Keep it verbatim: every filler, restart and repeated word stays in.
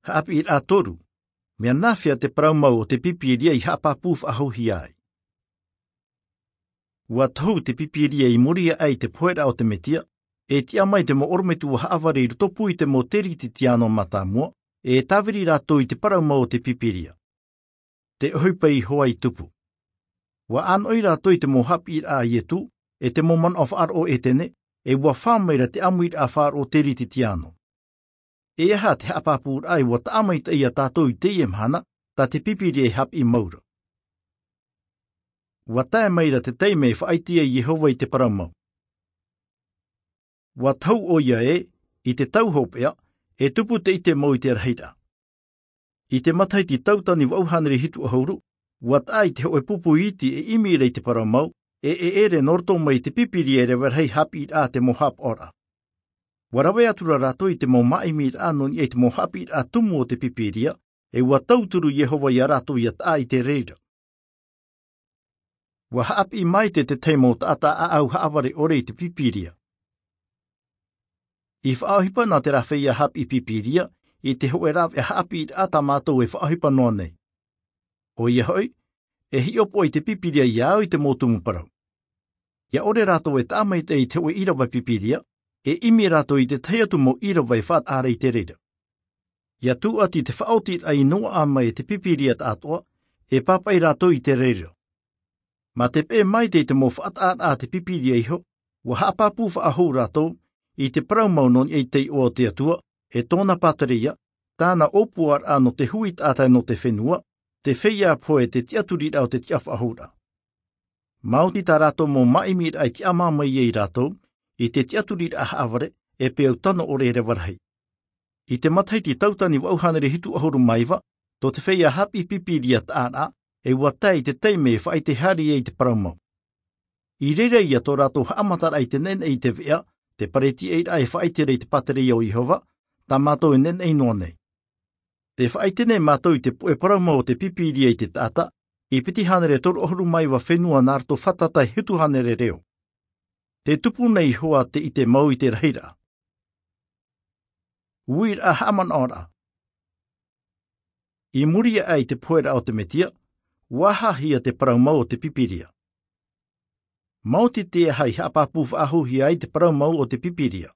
Haʻapiʻiraʻa toru. Mea nāfea te parau mau o te Pīpīria i haʻapāpū faʻahouhia ai? Ua tohu te Pīpīria i muri aʻe i te poheraʻa o te Metia, e tiʻa mai te mau ʻorometua haʻavare i roto pū i te mau Teretitiano mātāmua, e tāviri rātou i te parau mau o te Pīpīria. Te ʻohipa a Iehova i tupu. Ua ʻānoʻi rātou i te mau haʻapiʻiraʻa a Ietu, e te mau manaʻo faʻaroʻo ʻētene, e ua fā maira te ʻāmuiraʻa faʻaroʻo Teretitiano. E aha te haʻapāpūraʻa e ua taʻa maitaʻi ia tātou i teie mahana, tā te Pīpīria e haʻapiʻi mau ra? Ua tae maira te taime e faʻaʻite ai Iehova i te parau mau. Ua tohu ʻoia ē, i te tau hopeʻa, e tupu te ʻite mau i te rahiraʻa. I te matahiti tauatini vaʻu hānere hitu ʻahuru, ua taʻa i te hōʻē pupu iti e ʻimi ra i te parau mau, e, e ʻere nō roto mai i te Pīpīria e rave rahi haʻapiʻiraʻa a te mau haʻapaʻoraʻa. Ua rave atu ra rātou i te mau māʻimiraʻa nō niʻa i te mau haʻapiʻiraʻa tumu o te Pīpīria, e ua tauturu Iehova ia rātou ia taʻa i te reira. Ua haʻapiʻi maite te tahi mau taʻata ʻāʻau haʻavare ʻore i te Pīpīria. I faʻaʻohipa nā terā feiā haʻapiʻi Pīpīria, i te hōʻē rāveʻa haʻapiʻiraʻa tā mātou e faʻaʻohipa noa nei. ʻOia hoʻi, e hiʻopoʻa i te Pīpīria ia au i te mau tumu parau. ʻIa ʻore rātou e taʻa maitaʻi i te hōʻē ʻīrava Pīpīria, e ʻimi rātou i te tahi atu mau ʻīrava e faʻataʻa ra i te reira. ʻIa tūʻati te faʻaotiraʻa i noaʻa mai e te Pīpīria tāʻātoʻa, e pāpaʻi rātou i te reira. Mā te peʻe maitaʻi i te mau faʻataʻaraʻa a te Pīpīria iho, ua haʻapāpū faʻahou rātou, i te parau mau nō niʻa i te iʻoa o te Atua, e tōna pātireia, tāna ʻōpuaraʻa nō te hui taʻata e nō te fenua, te feiā pohe e te tiʻaturiraʻa o te tiʻafaʻahouraʻa. Maoti tā rātou mau māʻimiraʻa i tiʻamā mai ai rātou, i te tiʻaturiraʻa haʻavare, e peau tano ʻore e rave rahi. I te matahiti tauatini vaʻu hānere hitu ʻahuru mā iva, tō te feiā haʻapiʻi Pīpīria taʻa ra, e ua tae i te taime e faʻaʻite haere ai i te parau mau. I reira ia tō rātou haʻamataraʻa i te neʻeneʻe i te veʻa, te pareti ʻairaʻa e faʻaʻite ra i te pātireia o Iehova, tā mātou e neʻeneʻe noa nei. Tē faʻaʻite nei mātou i te puʻe parau mau o te Pīpīria i te taʻata, i piti hānere toru ʻahuru mā iva fenua nā roto fātata e hitu hānere reo. Tē tupu nei hoʻi te ʻite mau i te rahiraʻa. Uiraʻa haʻamanaʻoraʻa. I muri aʻe i te poheraʻa o te Metia, ua aha hia te parau mau o te Pīpīria? Maoti te aha i haʻapāpū faʻahouhia ai te parau mau o te Pīpīria?